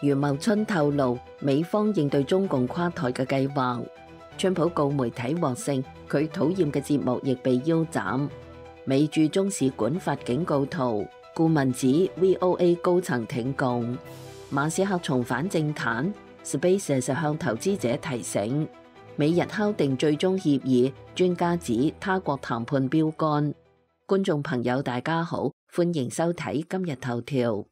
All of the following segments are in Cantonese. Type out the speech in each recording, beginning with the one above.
余茂春透露美方應對中共垮台嘅計劃。川普告媒體獲勝，佢討厭嘅節目亦被腰斬。美駐中使館發警告圖，顧問指 VOA 高層挺共。馬斯克重返政壇 ，SpaceX 向投資者提醒。美日敲定最終協議，專家指他國談判標杆。觀眾朋友大家好，歡迎收睇今日頭條。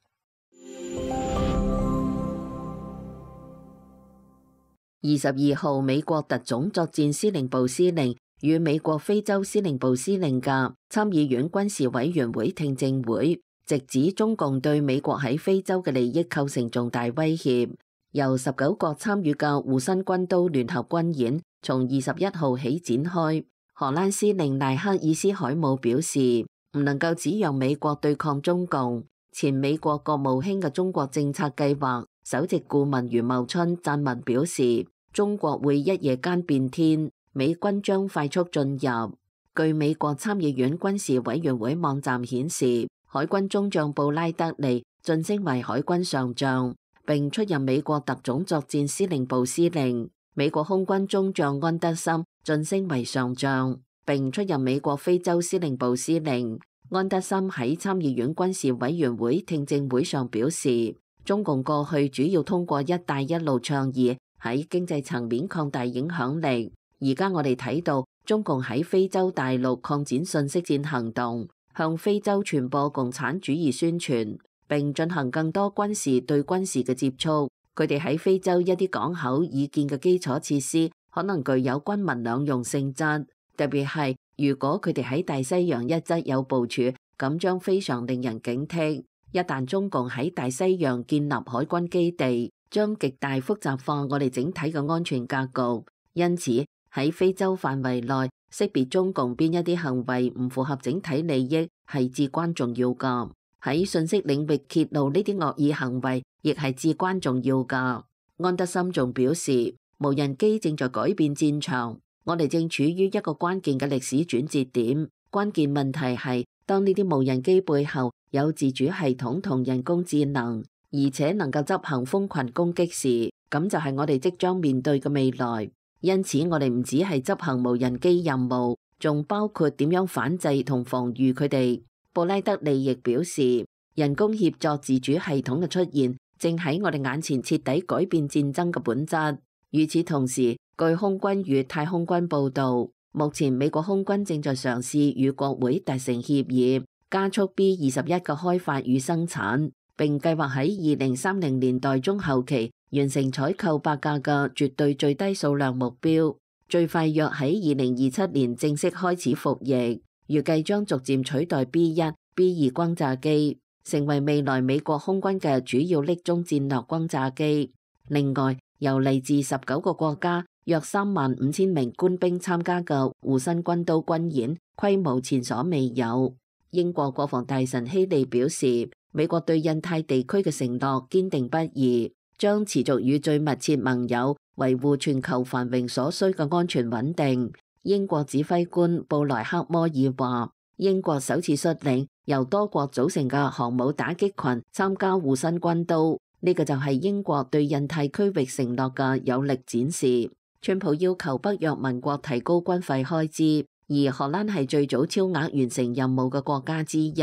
22號，美國特種作戰司令部司令與美國非洲司令部司令嘅參議院軍事委員會聽證會，直指中共對美國喺非洲嘅利益構成重大威脅。由19國參與嘅護身軍刀聯合軍演從21號起展開。荷蘭司令賴克爾斯海姆表示，唔能夠只讓美國對抗中共。前美國國務卿嘅中國政策計劃首席顧問余茂春撰文表示，中國會一夜間變天，美軍將快速進入。據美國參議院軍事委員會網站顯示，海軍中將布拉德利晉升為海軍上將，並出任美國特種作戰司令部司令。美國空軍中將安德森晉升為上將，並出任美國非洲司令部司令。安德森喺參議院軍事委員會聽證會上表示，中共過去主要通過一帶一路倡議喺經濟層面擴大影響力，而家我哋睇到中共喺非洲大陸擴展信息戰行動，向非洲傳播共產主義宣傳，並進行更多軍事對軍事嘅接觸。佢哋喺非洲一啲港口已建嘅基礎設施可能具有軍民兩用性質，特別係如果佢哋喺大西洋一側有部署，咁將非常令人警惕。一旦中共喺大西洋建立海軍基地，將極大複雜化我哋整體嘅安全格局，因此喺非洲範圍內識別中共邊一啲行為唔符合整體利益係至關重要㗎。喺信息領域揭露呢啲惡意行為亦係至關重要㗎。安德森仲表示，無人機正在改變戰場，我哋正處於一個關鍵嘅歷史轉折點。關鍵問題係，當呢啲無人機背後有自主系統同人工智能，而且能夠執行蜂群攻擊時，咁就係我哋即將面對嘅未來。因此，我哋唔只係執行無人機任務，仲包括點樣反制同防禦佢哋。布拉德利亦表示，人工協作自主系統嘅出現，正喺我哋眼前徹底改變戰爭嘅本質。與此同時，據空軍與太空軍報導，目前美國空軍正在嘗試與國會達成協議，加速 B-21嘅開發與生產，並計劃喺2030年代中後期完成採購8架嘅絕對最低數量目標，最快約喺2027年正式開始服役，預計將逐漸取代 B-1、B-2 轟炸機，成為未來美國空軍嘅主要匿蹤戰略轟炸機。另外，由嚟自19個國家約35000名官兵參加嘅護身軍刀軍演，規模前所未有。英國國防大臣希利表示，美國對印太地區嘅承諾堅定不移，將持續與最密切盟友維護全球繁榮所需嘅安全穩定。英國指揮官布萊克摩爾話，英國首次率領由多國組成嘅航母打擊群參加護身軍刀，呢個就係英國對印太區域承諾嘅有力展示。川普要求北約盟國提高軍費開支，而荷蘭係最早超額完成任務嘅國家之一。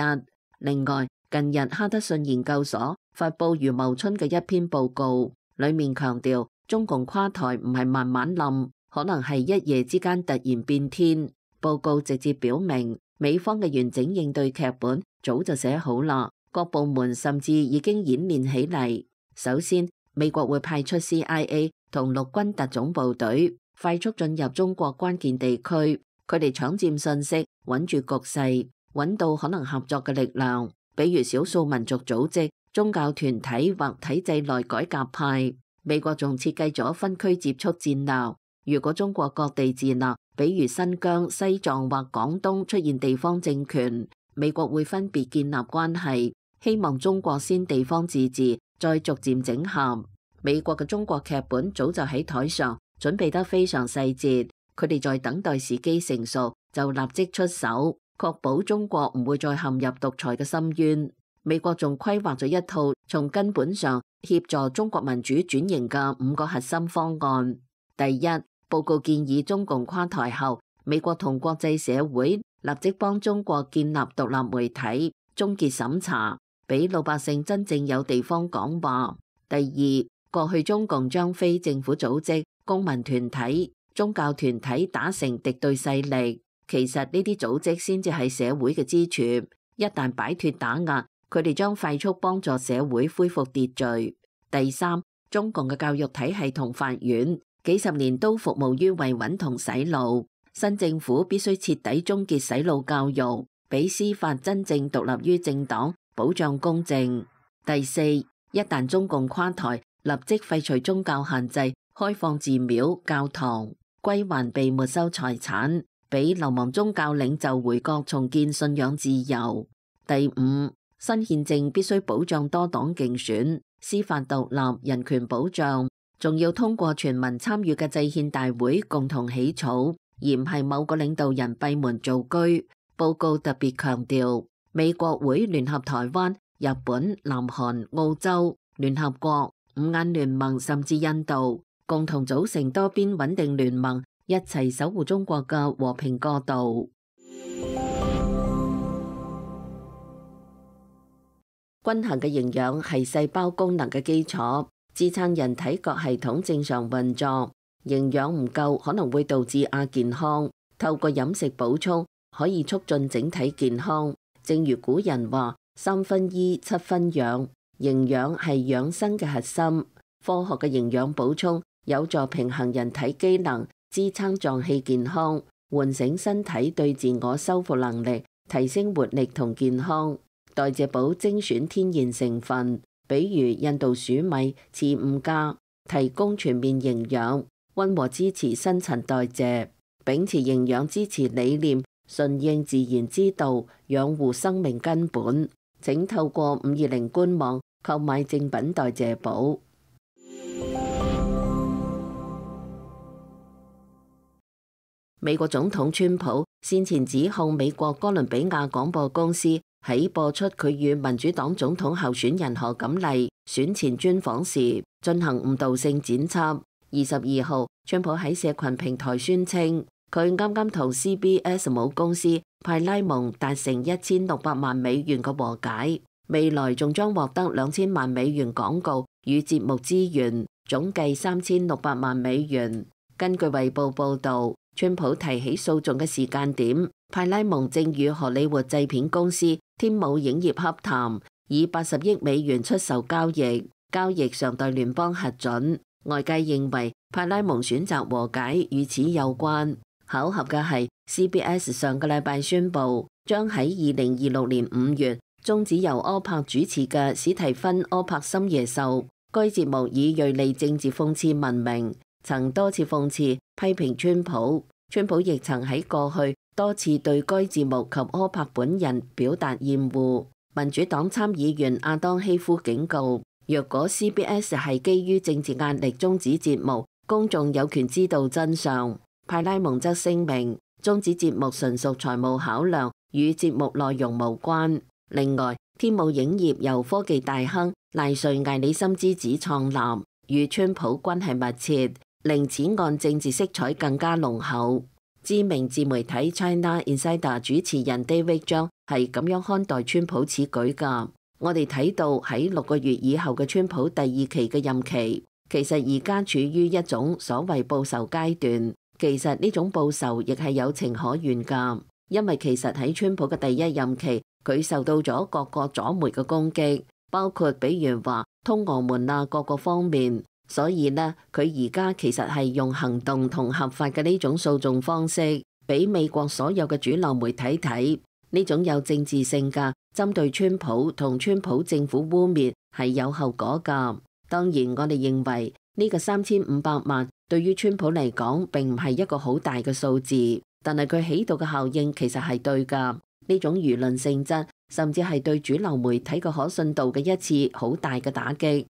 另外，近日哈德遜研究所發佈余茂春嘅一篇報告，裡面強調中共垮台唔係慢慢冧，可能係一夜之間突然變天。報告直接表明，美方嘅完整應對劇本早就寫好啦，各部門甚至已經演練起嚟。首先，美國會派出 CIA 同陸軍特種部隊，快速進入中國關鍵地區，佢哋搶佔信息，穩住局勢，揾到可能合作嘅力量，比如少數民族組織、宗教團體或體制內改革派。美國仲設計咗分區接觸戰略，如果中國各地自立，比如新疆、西藏或廣東出現地方政權，美國會分別建立關係，希望中國先地方自治，再逐漸整合。美國嘅中國劇本早就喺台上，準備得非常細節，佢哋在等待時機成熟就立即出手，確保中國唔會再陷入獨裁嘅深淵。美國仲規劃咗一套從根本上協助中國民主轉型嘅5個核心方案。第一，報告建議中共垮台後，美國同國際社會立即幫中國建立獨立媒體，終結審查，俾老百姓真正有地方講話。第二，過去中共將非政府組織、公民團體、宗教團體打成敵對勢力，其實呢啲組織先至係社會嘅支柱，一旦擺脫打壓，佢哋將快速幫助社會恢復秩序。第三，中共嘅教育體系同法院幾十年都服務於維穩同洗腦，新政府必須徹底終結洗腦教育，俾司法真正獨立於政黨，保障公正。第四，一旦中共垮台，立即廢除宗教限制，開放寺廟、教堂，歸還被沒收財產，俾流亡宗教領袖回國重建信仰自由。第五，新憲政必須保障多黨競選、司法獨立、人權保障，仲要通過全民參與嘅制憲大會共同起草，而唔係某個領導人閉門造車。報告特別強調，美國會聯合台灣、日本、南韓、澳洲、聯合國、五眼聯盟甚至印度，共同組成多邊穩定聯盟，一齊守護中國嘅和平過渡。均衡嘅營養係細胞功能嘅基礎，支撐人體各系統正常運作。營養唔夠可能會導致亞健康，透過飲食補充可以促進整體健康。正如古人話：3分醫7分養，營養係養生嘅核心。科學嘅營養補充有助平衡人體機能，支撐臟器健康，喚醒身體對自我修復能力，提升活力同健康。代謝寶精選天然成分，比如印度鼠米、次五加，提供全面營養，溫和支持新陳代謝，秉持營養支持理念，順應自然之道，養護生命根本。請透過520官網購買正品代謝寶。美國總統川普先前指控美國哥倫比亞廣播公司喺播出佢與民主黨總統候選人賀錦麗選前專訪時進行誤導性剪輯。22號，川普喺社群平台宣稱，佢啱啱同 CBS 母公司派拉蒙達成1600萬美元嘅和解，未來仲將獲得2000萬美元廣告與節目資源，總計3600萬美元。根據衛報報導，川普提起訴訟嘅時間點，派拉蒙正與荷里活製片公司天舞影業洽談，以80億美元出售交易，交易尚待聯邦核准。外界認為派拉蒙選擇和解與此有關。巧合嘅係 CBS 上個禮拜宣布，將喺2026年5月終止由柯柏主持嘅史提芬柯柏深夜秀。該節目以銳利政治諷刺聞名，曾多次諷刺批評川普。川普亦曾喺過去多次對該節目及柯柏本人表達厭惡。民主黨參議員亞當希夫警告，若果 CBS 係基於政治壓力終止節目，公眾有權知道真相。派拉蒙則聲明，終止節目純屬財務考量，與節目內容無關。另外，天舞影業由科技大亨賴瑞艾里森之子創立，與川普關係密切，令此案政治色彩更加濃厚。知名自媒體 China Insider 主持人 David Zhang 係咁樣看待川普此舉㗎。我哋睇到喺6個月以後嘅川普第2期嘅任期，其實而家處於一種所謂報仇階段。其實呢種報仇亦係有情可原㗎，因為其實喺川普嘅第1任期，佢受到咗各個左媒嘅攻擊，包括比如話通俄門啊各個方面。所以呢，佢而家其實係用行動同合法嘅呢種訴訟方式，俾美國所有嘅主流媒體睇，呢種有政治性嘅針對川普同川普政府污蔑係有後果㗎。當然，我哋認為呢個3500萬對於川普嚟講並唔係一個好大嘅數字，但係佢起到嘅效應其實係對㗎。呢種輿論性質，甚至係對主流媒體嘅可信度嘅一次好大嘅打擊。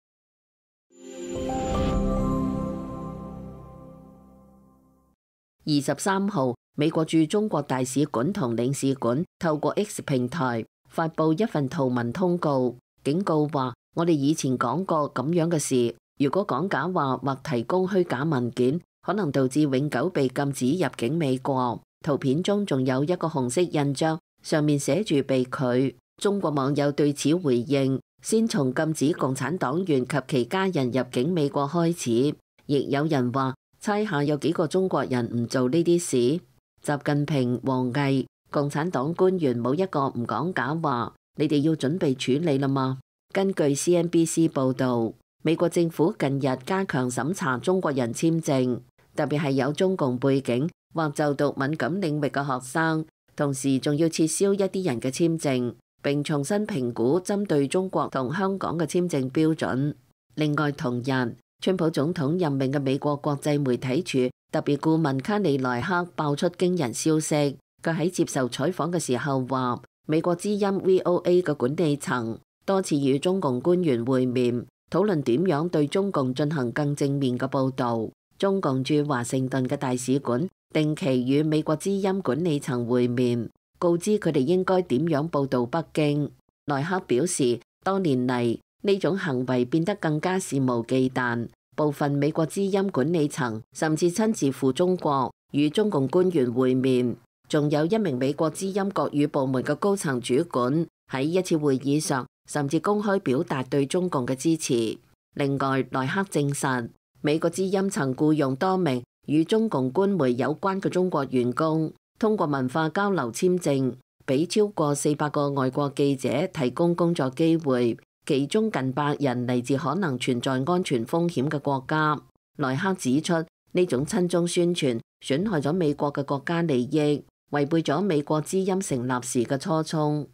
23號，美國駐中國大使館同領事館透過 X 平台發布一份圖文通告，警告話：我哋以前講過咁樣嘅事，如果講假話或提供虛假文件，可能導致永久被禁止入境美國。圖片中仲有一個紅色印章，上面寫住被拒。中國網友對此回應：先從禁止共產黨員及其家人入境美國開始。亦有人話：猜下有幾個中國人唔做呢啲事？習近平、王毅、共產黨官員冇一個唔講假話，你哋要準備處理啦嘛？根據 CNBC 報導，美國政府近日加強審查中國人簽證，特別係有中共背景或就讀敏感領域嘅學生，同時仲要撤銷一啲人嘅簽證，並重新評估針對中國同香港嘅簽證標準。另外同日，川普總統任命嘅美國國際媒體處特別顧問卡里萊克爆出驚人消息，佢喺接受採訪嘅時候話，美國之音 VOA 嘅管理層多次與中共官員會面，討論點樣對中共進行更正面嘅報導。中共駐華盛頓嘅大使館定期與美國之音管理層會面，告知佢哋應該點樣報導北京。萊克表示，多年嚟呢種行為變得更加肆無忌憚，部分美國之音管理層甚至親自赴中國與中共官員會面，仲有一名美國之音國語部門嘅高層主管喺一次會議上甚至公開表達對中共嘅支持。另外，萊克證實美國之音曾僱用多名與中共官媒有關嘅中國員工，通過文化交流簽證，俾超過400個外國記者提供工作機會，其中近100人嚟自可能存在安全風險嘅國家。萊克指出，呢種親中宣傳損害咗美國嘅國家利益，違背咗美國之音成立時嘅初衷。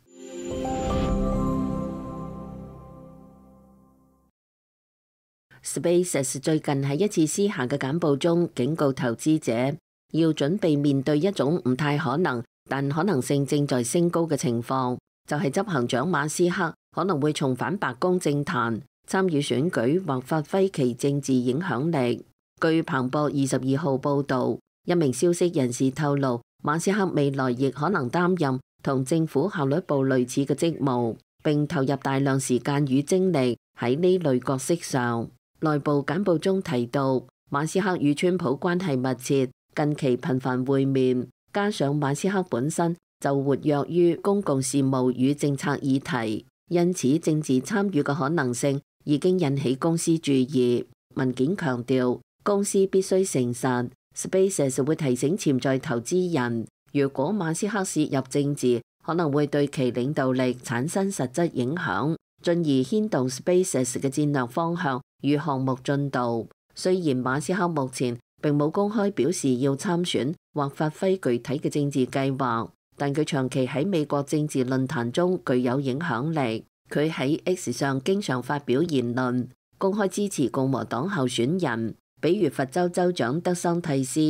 SpaceX 最近喺一次私下嘅簡報中警告投資者，要準備面對一種唔太可能，但可能性正在升高嘅情況，就係執行長馬斯克可能會重返白宮政壇，參與選舉或發揮其政治影響力。據彭博22號報導，一名消息人士透露，馬斯克未來亦可能擔任同政府效率部類似嘅職務，並投入大量時間與精力喺呢類角色上。內部簡報中提到，馬斯克與川普關係密切，近期頻繁會面，加上馬斯克本身就活躍於公共事務與政策議題，因此政治參與嘅可能性已經引起公司注意。文件強調，公司必須誠實。SpaceX 會提醒潛在投資人，如果馬斯克涉入政治，可能會對其領導力產生實質影響，進而牽動 SpaceX 嘅戰略方向與項目進度。雖然馬斯克目前並冇公開表示要參選或發揮具體嘅政治計劃，但佢長期喺美國政治論壇中具有影響力。佢喺 X 上經常發表言論，公開支持共和黨候選人，比如佛州州長德桑蒂斯。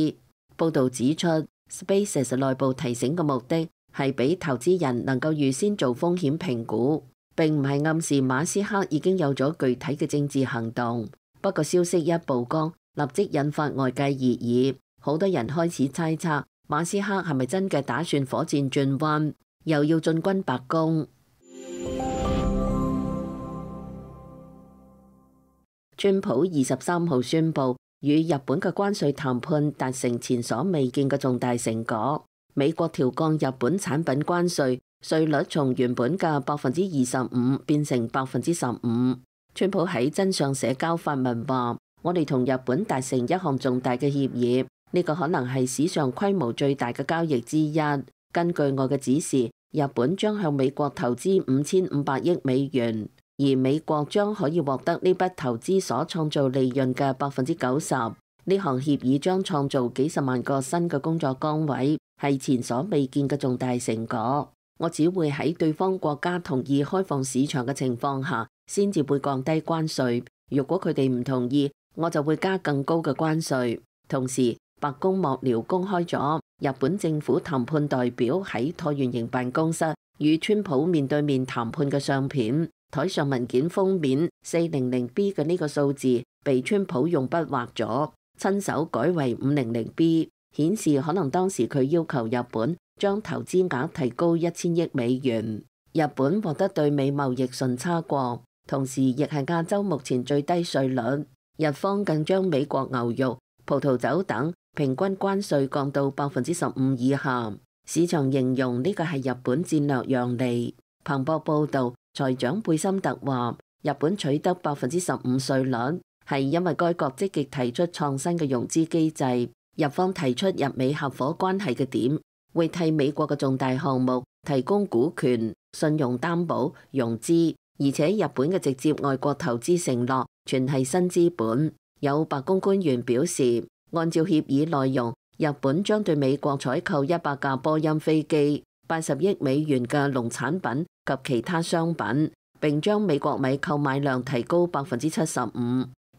報導指出，SpaceX 內部提醒嘅目的係俾投資人能夠預先做風險評估，並唔係暗示馬斯克已經有咗具體嘅政治行動。不過消息一曝光，立即引發外界熱議，好多人開始猜測馬斯克係咪真嘅打算火箭轉彎，又要進軍白宮。川普23號宣布與日本嘅關稅談判達成前所未見嘅重大成果，美國調降日本產品關稅，稅率從原本嘅25%變成15%。川普喺真相社交發文話：我哋同日本達成一項重大嘅協議，呢個可能係史上規模最大嘅交易之一。根據我嘅指示，日本將向美國投資5500億美元，而美國將可以獲得呢筆投資所創造利潤嘅90%。呢項協議將創造幾十萬個新嘅工作崗位，係前所未見嘅重大成果。我只會喺對方國家同意開放市場嘅情況下，先至會降低關稅。如果佢哋唔同意，我就會加更高嘅關稅。同時，白宮幕僚公開咗日本政府談判代表喺橢圓形辦公室與川普面對面談判嘅相片。台上文件封面 400B 嘅呢個數字被川普用筆畫咗，親手改為500B， 顯示可能當時佢要求日本將投資額提高1000億美元。日本獲得對美貿易順差國，同時亦係亞洲目前最低稅率。日方更將美國牛肉、葡萄酒等平均關稅降到15%以下。市場形容呢個係日本戰略讓利。彭博報導，財長貝森特話：日本取得15%稅率，係因為該國積極提出創新嘅融資機制。日方提出日美合夥關係嘅點，會替美國嘅重大項目提供股權、信用擔保、融資，而且日本嘅直接外國投資承諾全係新資本。有白宮官員表示，按照協議內容，日本將對美國採購100架波音飛機、80億美元嘅農產品及其他商品，並將美國米購買量提高75%。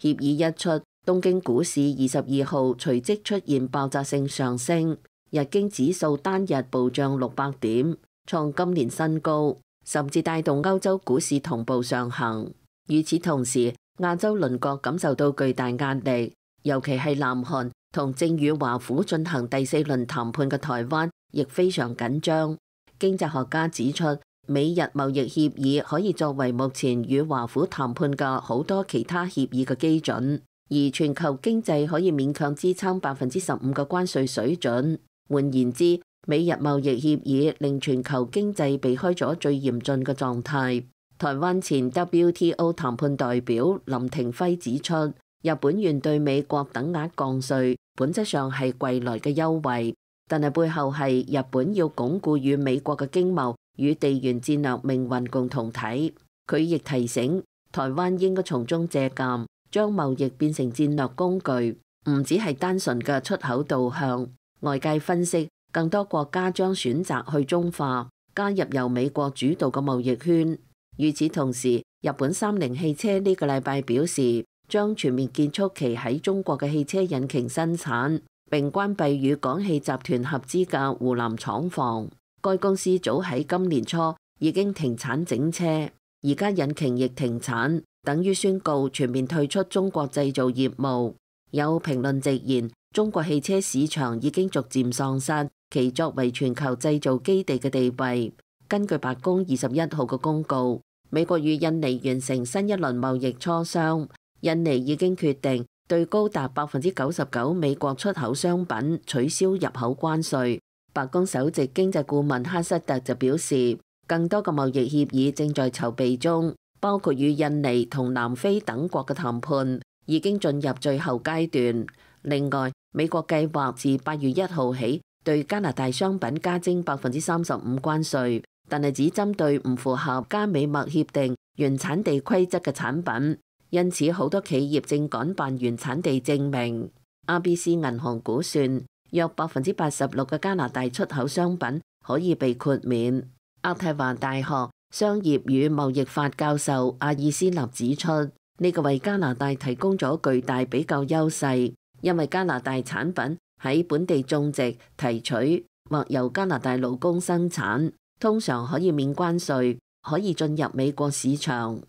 協議一出，東京股市22號隨即出現爆炸性上升，日經指數單日暴漲600點，創今年新高，甚至帶動歐洲股市同步上行。與此同時，亞洲鄰國感受到巨大壓力，尤其係南韓同正與華府進行第4輪談判嘅台灣，亦非常緊張。經濟學家指出，美日貿易協議可以作為目前與華府談判嘅好多其他協議嘅基準，而全球經濟可以勉強支撐15%嘅關稅水準。換言之，美日貿易協議令全球經濟避開咗最嚴峻嘅狀態。台灣前 WTO 談判代表林廷輝指出，日本願對美國等額降稅，本質上係貴來嘅優惠，但係背後係日本要鞏固與美國嘅經貿與地緣戰略命運共同體。佢亦提醒台灣應該從中借鑑，將貿易變成戰略工具，唔只係單純嘅出口導向。外界分析，更多國家將選擇去中化，加入由美國主導嘅貿易圈。與此同時，日本三菱汽車呢個禮拜表示，將全面結束其喺中國嘅汽車引擎生產，並關閉與廣汽集團合資嘅湖南廠房。該公司早喺今年初已經停產整車，而家引擎亦停產，等於宣告全面退出中國製造業務。有評論直言，中國汽車市場已經逐漸喪失其作為全球製造基地嘅地位。根據白宮21號嘅公告，美國與印尼完成新一輪貿易磋商，印尼已經決定對高達99%美國出口商品取消入口關稅。白宮首席經濟顧問哈瑟特就表示，更多嘅貿易協議正在籌備中，包括與印尼同南非等國嘅談判已經進入最後階段。另外，美國計劃自8月1號起對加拿大商品加徵35%關稅，但係只針對唔符合加美貿協定原產地規則嘅產品，因此好多企業正趕辦原產地證明。RBC 銀行估算，約86%嘅加拿大出口商品可以被豁免。渥太華大學商業與貿易法教授阿爾斯納指出，呢個為加拿大提供咗巨大比較優勢，因為加拿大產品喺本地種植、提取或由加拿大勞工生產，通常可以免關稅，可以進入美國市場。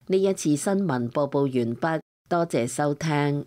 呢一次新聞播報完畢，多謝收聽。